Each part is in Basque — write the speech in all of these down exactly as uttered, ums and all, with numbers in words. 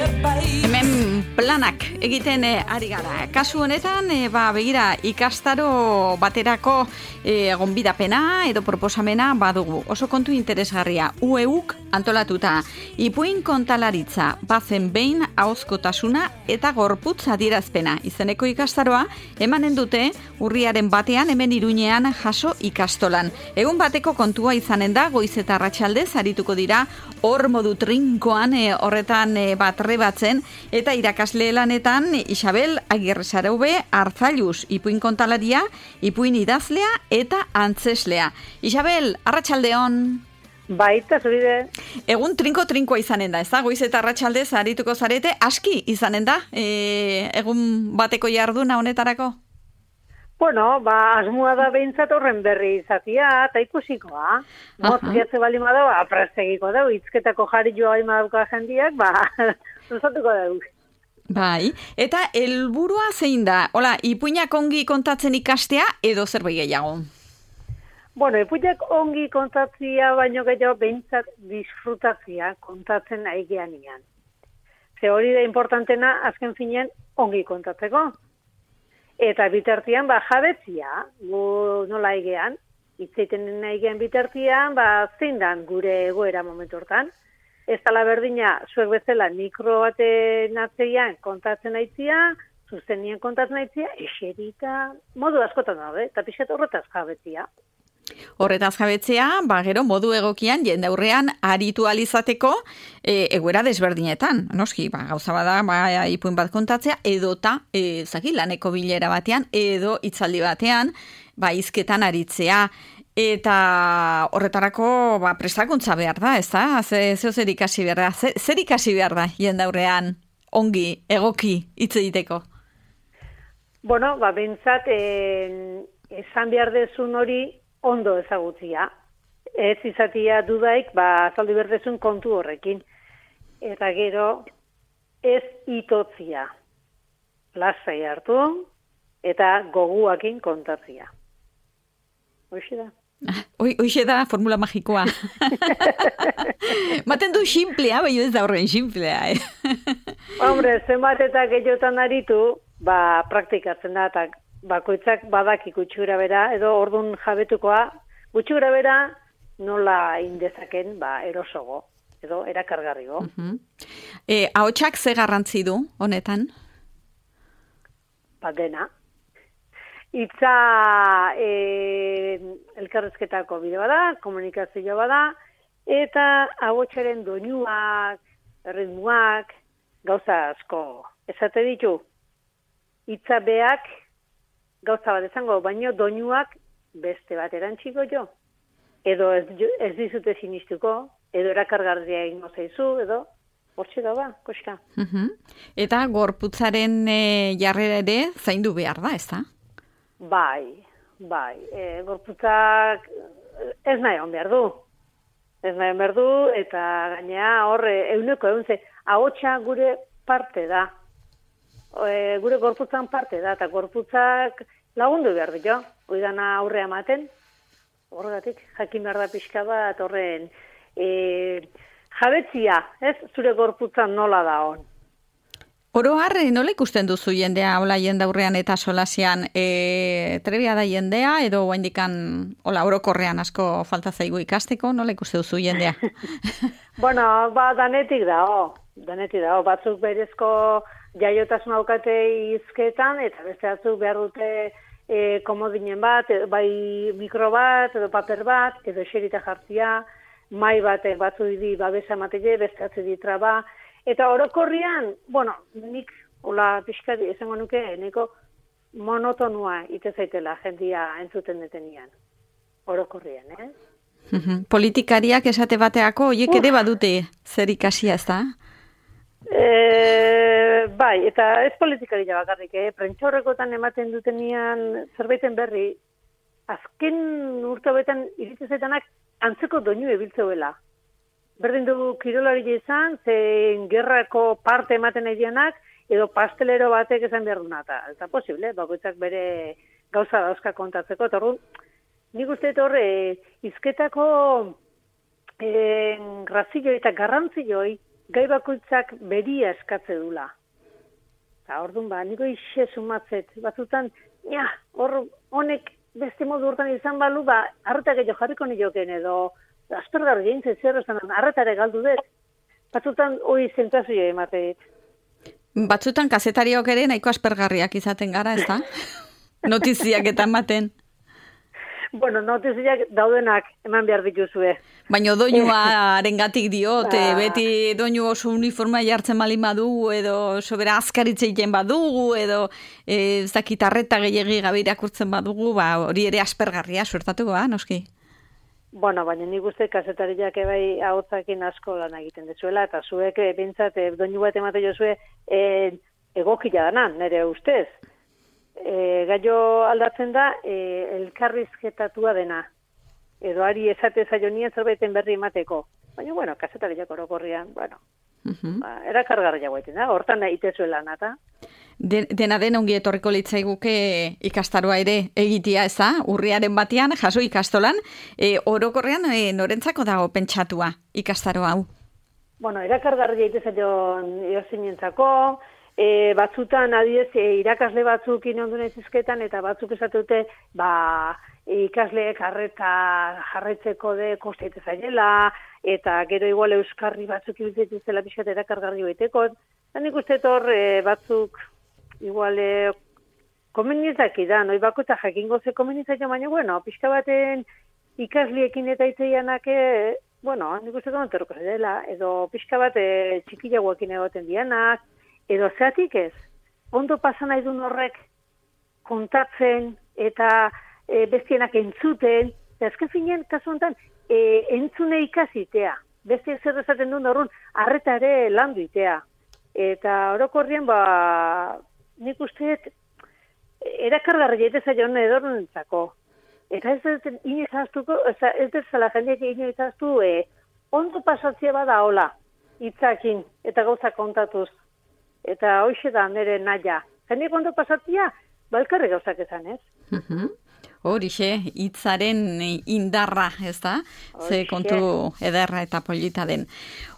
Hemen planak egiten e, ari gara. Kasu honetan, e, ba, begira, ikastaro baterako e, gonbidapena edo proposamena badugu. Oso kontu interesgarria. U E Uk antolatuta. Ipuin kontalaritza, bazen behin ahozkotasuna eta gorputz adierazpena. Izeneko ikastaroa emanen dute urriaren batean hemen Iruñean jaso ikastolan. Egun bateko kontua izanen da, goiz eta arratsaldez arituko dira hor modu trinkoan e, horretan e, bat rebatzen eta irakasle lanetan Isabel Agirrezaraube Arzailuz, ipuin kontalaria, ipuin idazlea eta antzeslea. Isabel, arratsaldeon. Baita, zuride. Egun trinko-trinkoa izanen da, ez da? Goiz eta arratsaldez arituko zarete, aski izanen da, e, egun bateko jarduna honetarako? Bueno, ba, asmoa da behintzat horren berri izatia, eta ikusikoa. Mozkiatze bali madau, aprastegiko dau, izketako jarri joa imadauka jendiak, ba, zuzatuko dau. Bai, eta helburua zein da? Hola, ipuinak ongi kontatzen ikastea edo zerbait gehiago? Bueno, ipuinak ongi kontatzia, baino gehiago behintzat disfrutatzia kontatzen aigean ian. Ze hori da importantena, azken finean, ongi kontatzeko. Eta bitartian, ba, jabetzia, gu nola aigean, itzeiten aigean bitartian, ba, zein dan gure egoera momentu hortan. Ez tala berdina, zuek bezala mikro baten atzeian kontatzen aitzia, zuzenien kontatzen aitzia, eserita, modu askotan daude, eta pixat horretaz jabetzia. Horretaz jabetzea, ba, gero modu egokian jendaurrean aritu alizateko e, egoera desberdinetan. Noski, ba, gauza bada, ba, ipuin bat kontatzea, edota, e, zaki, laneko bilera batean, edo hitzaldi batean, ba, hizketan aritzea. Eta horretarako ba, prestakuntza behar da, ez da? Zeo zer ikasi behar da? Zer, zer ikasi behar da jendaurrean ongi, egoki, hitz egiteko? Bueno, ba, bentsat, eh, esan behar dezun hori ondo ezagutzia. Ez izatia dudaik, ba, azaldu behar dezun kontu horrekin. Eta gero, ez itotzia. Lasai hartu, eta goguakin kontatzia. Hoxe da. Hoxe da formula magikoa. Maten du simplea, baina ez da horren simplea. Eh? Hombre, zenbat eta gehiotan aritu, ba, praktikatzen da, eta bakoitzak badak gutxura bera, edo ordun jabetukoa, gutxura bera nola indezaken, ba, erosogo, edo erakargarrigo. Uh-huh. E, ahotsak ze garrantzi du, honetan? Ba, dena. Itza e, elkarrezketako bide bada, komunikazioa bada, eta ahotsaren doinuak, ritmuak, gauza asko. Esate ditu, itza beak, gauza bat ezango, baino doinuak beste bat erantziko jo. Edo ez, ez dizute sinistuko, edo erakargarria egingo zaizu, edo hortxe da ba, koska. Uh-huh. Eta gorputzaren e, jarrera ere zaindu behar da, ez da? Bai, bai. E, gorputzak ez nahi hon behar du. Ez nahi hon behar du, eta gainea horre, euneko egun ze, ahotsa gure parte da. E, gure gorputzan parte da, eta gorputzak lagundu behar du jo. Oidana aurrea ematen, horregatik, jakin behar da pixka bat, horren e, jabetzia, ez? Zure gorputzan nola da hon. Oro har, nola ikusten duzu jendea, hola jendaurrean eta solasian, e, trebia da jendea, edo guaindikan, hola, orokorrean asko falta zaigu ikasteko, nola ikusten duzu jendea? Bueno, ba, danetik da, oh. danetik da, oh. Batzuk berezko jaiotasun aukate hizketan, eta beste batzuk behar dute e, komodinen bat, edo, bai mikro bat, edo paper bat, edo eserita jartzia, mai batek batzu di babesa ematele, beste atzu di traba. Eta orokorrian, bueno, nik, hola pixka esango nuke, neko monotonua ite zaitela jendia entzuten detenian. Orokorrian, eh? Politikariak esate bateako, oiek ere badute zer ikasia, ez da? E, bai, eta ez politikaria bakarrik, eh? Prentxaurrekotan ematen dutenian zerbaiten berri, azken urte hobetan iritzezaitanak antzeko doinu ebiltzeuela. Berdin du kirolari izan, zein gerrako parte ematen nahi dianak, edo pastelero batek esan behar duna. Eta posible, bakoitzak bere gauza dauzka kontatzeko. Eta orduan, nik uste horre, izketako eh, grazioi eta garrantzioi gai bakoitzak beria eskatze dula. Eta orduan ba, niko ixe sumatzet, batzutan, ja, hor honek beste modu urtan izan balu, ba, arretak edo jarriko nioken edo, aspergarri gintzen zer esan, arretare galdu dut. Batzutan, hoi zentazioa emateet. Batzutan, kazetariok ere nahiko aspergarriak izaten gara, ez da? Notiziak eta ematen. Bueno, notiziak daudenak eman behar dituzue. Baina doinuaren gatik diot, ba. Beti doinu oso uniforma jartzen malin badugu, edo sobera azkaritzeiten badugu, edo e, ez dakit arreta gehiagi gabe irakurtzen badugu, ba, hori ere aspergarria suertatuko, ba, noski? Bueno, baina nik uste kazetariak ebai ahotzakin asko lan egiten dezuela, eta zuek e, bintzat e, doinu bat emate jozue e, egokila danan, nire ustez. E, gaio aldatzen da e, elkarrizketatua dena. Edo ari esate zaionien zerbaiten berri emateko. Baina, bueno, kazetariak orokorrian, bueno, uh-huh. ba, erakargarria guaiten da, hortan egitezuela nata. Den, dena den ongi etorriko litzaiguke ikastaroa ere egitea, ez da? Urriaren batean, jaso ikastolan, e, orokorrean e, norentzako dago pentsatua ikastaro hau? Bueno, erakargarria egitezaion eosinentzako, e, batzutan adidez e, irakasle batzuk inondun ezizketan, eta batzuk esatute, ba, ikasleek harreta jarretzeko de kosteite zailela, eta gero igual euskarri batzuk ibiltzen zela pixkat erakargarri baiteko. Eta nik uste hor e, batzuk igual e, komenizaki da, noi bako eta jakingo ze komenizaki, baina, bueno, pixka baten ikasliekin eta itzeianak, e, bueno, nik uste dut enterroko dela, edo pixka bat e, txikiagoekin egoten dianak, edo zeatik ez, ondo pasan nahi duen horrek kontatzen eta e, bestienak entzuten, eta azken finean, kasu honetan, e, entzune ikasitea, beste zer esaten duen horren, arreta ere landu itea. Eta orokorrien, ba, nik usteet, erakargarri jaitez aion edorrentzako. Eta ez dut inizaztuko, ez dut zela jendeak inizaztu, e, ondo pasatzea bada hola, hitzakin, eta gauza kontatuz. Eta hoxe da nire naia. Jendeak ondo pasatzea, balkarri gauzak ezan, ez? Uh-huh. Horixe, hitzaren indarra, ez da? Ze kontu ederra eta polita den.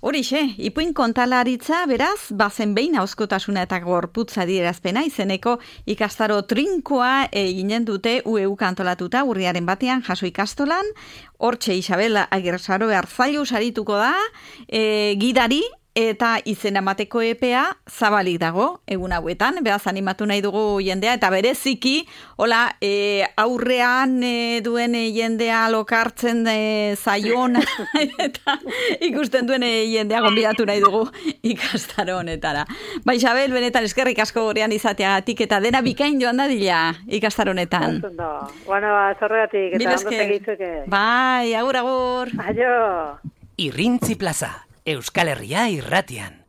Horixe, ipuin kontalaritza, beraz, bazen behin hauskotasuna eta gorputza adierazpena izeneko ikastaro trinkoa eginen dute U E U antolatuta urriaren batean jaso ikastolan. Hortxe Isabel Agirrezaro Arzailu sarituko da, e, gidari, eta izen emateko epea zabalik dago egun hauetan, beraz animatu nahi dugu jendea, eta bereziki, hola, e, aurrean e, duen e, jendea lokartzen e, zaion, eta ikusten duen e, jendea gonbidatu nahi dugu ikastaro honetara. Ba, Isabel, benetan eskerrik asko gorean izateagatik, eta dena bikain joan dadila ikastaro honetan. Bueno, zorregatik, eta ondo segitzuke. Bai, agur, agur. Aio. Irrintzi plaza. Euskal Herria irratian.